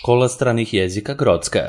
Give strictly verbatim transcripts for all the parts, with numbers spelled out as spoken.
Škola stranih jezika Grocka.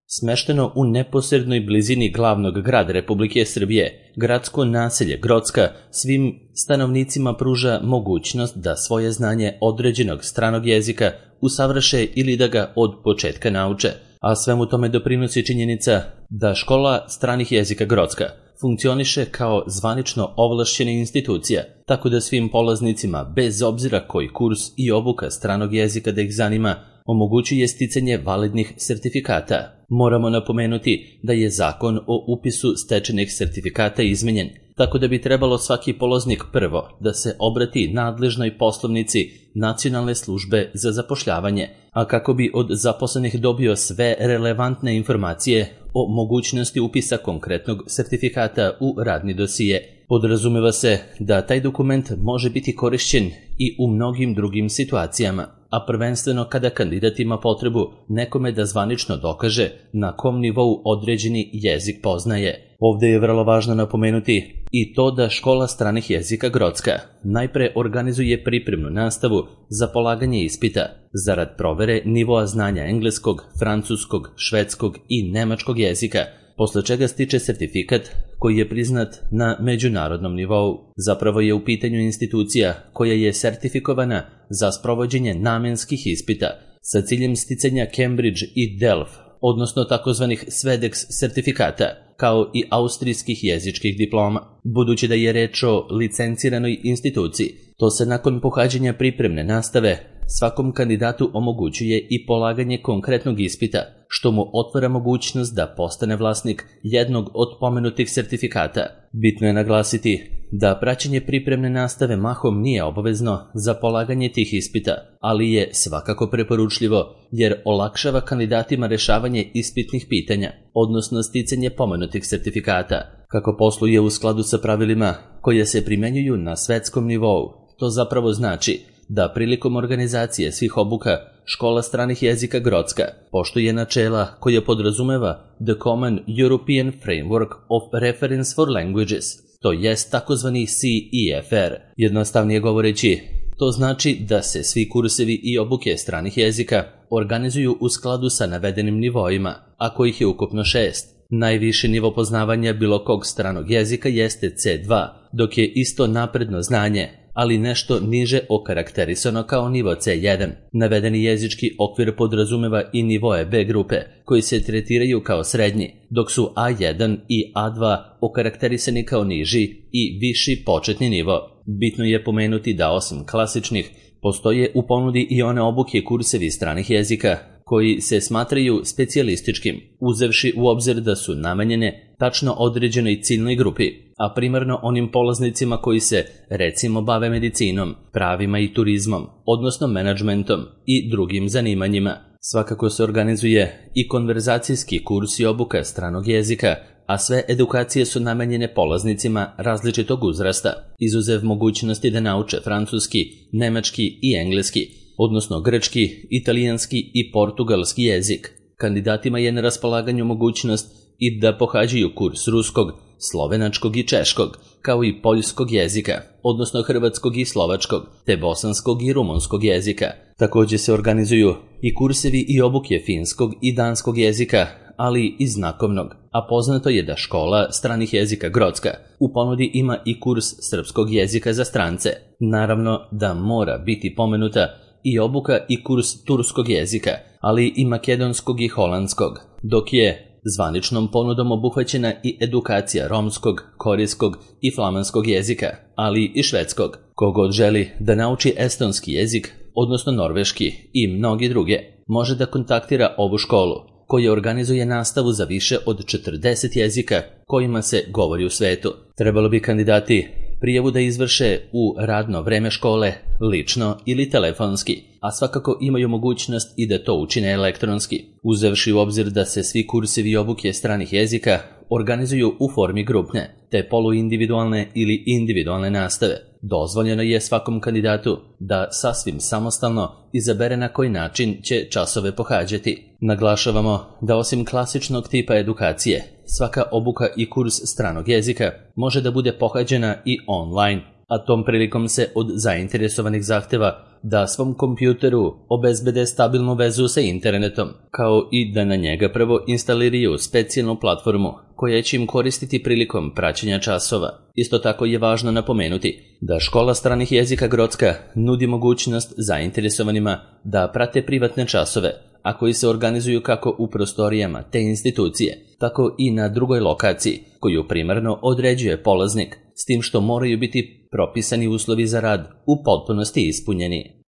Smešteno u neposrednoj blizini glavnog grada Republike Srbije, gradsko naselje Grocka svim stanovnicima pruža mogućnost da svoje znanje određenog stranog jezika usavrše ili da ga od početka nauče, a svemu tome doprinosi činjenica da Škola stranih jezika Grocka funkcioniše kao zvanično ovlašćena institucija, tako da svim polaznicima, bez obzira koji kurs i obuka stranog jezika da ih zanima, omogućuje sticanje validnih sertifikata. Moramo napomenuti da je zakon o upisu stečenih sertifikata izmenjen, tako da bi trebalo svaki polaznik prvo da se obrati nadležnoj poslovnici Nacionalne službe za zapošljavanje, a kako bi od zaposlenih dobio sve relevantne informacije o mogućnosti upisa konkretnog sertifikata u radni dosije. Podrazumeva se da taj dokument može biti korišćen i u mnogim drugim situacijama, a prvenstveno kada kandidat ima potrebu nekome da zvanično dokaže na kom nivou određeni jezik poznaje. Ovde je vrlo važno napomenuti i to da Škola stranih jezika Grocka najpre organizuje pripremnu nastavu za polaganje ispita zarad provere nivoa znanja engleskog, francuskog, švedskog i nemačkog jezika, posle čega stiče sertifikat koji je priznat na međunarodnom nivou. Zapravo je u pitanju institucija koja je sertifikovana za sprovođenje namenskih ispita sa ciljem sticanja Cambridge i Delft, odnosno takozvanih Svedex sertifikata, kao i austrijskih jezičkih diploma. Budući da je reč o licenciranoj instituciji, to se nakon pohađanja pripremne nastave svakom kandidatu omogućuje i polaganje konkretnog ispita, što mu otvara mogućnost da postane vlasnik jednog od pomenutih sertifikata. Bitno je naglasiti da praćenje pripremne nastave mahom nije obavezno za polaganje tih ispita, ali je svakako preporučljivo jer olakšava kandidatima rešavanje ispitnih pitanja, odnosno sticanje pomenutih sertifikata. Kako posluje u skladu sa pravilima koje se primenjuju na svetskom nivou, to zapravo znači da prilikom organizacije svih obuka Škola stranih jezika Grocka poštuje načela koja podrazumeva The Common European Framework of Reference for Languages, to jest takozvani C E F R. Jednostavnije govoreći, to znači da se svi kursevi i obuke stranih jezika organizuju u skladu sa navedenim nivoima, a kojih je ukupno šest. Najviši nivo poznavanja bilo kog stranog jezika jeste C dva, dok je isto napredno znanje, ali nešto niže okarakterisano kao nivo C jedan. Navedeni jezički okvir podrazumeva i nivoe B grupe, koji se tretiraju kao srednji, dok su A jedan i A dva okarakterisani kao niži i viši početni nivo. Bitno je pomenuti da osim klasičnih, postoje u ponudi i one obuke kursevi stranih jezika, koji se smatraju specijalističkim, uzevši u obzir da su namenjene tačno određenoj ciljnoj grupi, a primarno onim polaznicima koji se, recimo, bave medicinom, pravima i turizmom, odnosno menadžmentom i drugim zanimanjima. Svakako se organizuje i konverzacijski kurs i obuka stranog jezika, a sve edukacije su namenjene polaznicima različitog uzrasta, izuzev mogućnosti da nauče francuski, nemački i engleski, odnosno grčki, italijanski i portugalski jezik. Kandidatima je na raspolaganju mogućnost i da pohađaju kurs ruskog, slovenačkog i češkog, kao i poljskog jezika, odnosno hrvatskog i slovačkog, te bosanskog i rumunskog jezika. Također se organizuju i kursevi i obuke finskog i danskog jezika, ali i znakovnog, a poznato je da Škola stranih jezika Grocka u ponudi ima i kurs srpskog jezika za strance. Naravno da mora biti pomenuta i obuka i kurs turskog jezika, ali i makedonskog i holandskog, dok je zvaničnom ponudom obuhvaćena i edukacija romskog, korejskog i flamanskog jezika, ali i švedskog. Kogod želi da nauči estonski jezik, odnosno norveški i mnogi druge, može da kontaktira ovu školu, koja organizuje nastavu za više od četrdeset jezika kojima se govori u svetu. Trebalo bi kandidati prijavu da izvrše u radno vreme škole, lično ili telefonski, a svakako imaju mogućnost i da to učine elektronski, uzevši u obzir da se svi kursevi i obuke stranih jezika organizuju u formi grupne, te poluindividualne ili individualne nastave. Dozvoljeno je svakom kandidatu da sasvim samostalno izabere na koji način će časove pohađati. Naglašavamo da osim klasičnog tipa edukacije, svaka obuka i kurs stranog jezika može da bude pohađena i online, a tom prilikom se od zainteresovanih zahteva da svom kompjuteru obezbede stabilnu vezu sa internetom, kao i da na njega prvo instaliraju specijalnu platformu koja će im koristiti prilikom praćenja časova. Isto tako je važno napomenuti da Škola stranih jezika Grocka nudi mogućnost zainteresovanima da prate privatne časove, a koji se organizuju kako u prostorijama te institucije, tako i na drugoj lokaciji koju primarno određuje polaznik, s tim što moraju biti propisani uslovi za rad u potpunosti ispunjeni.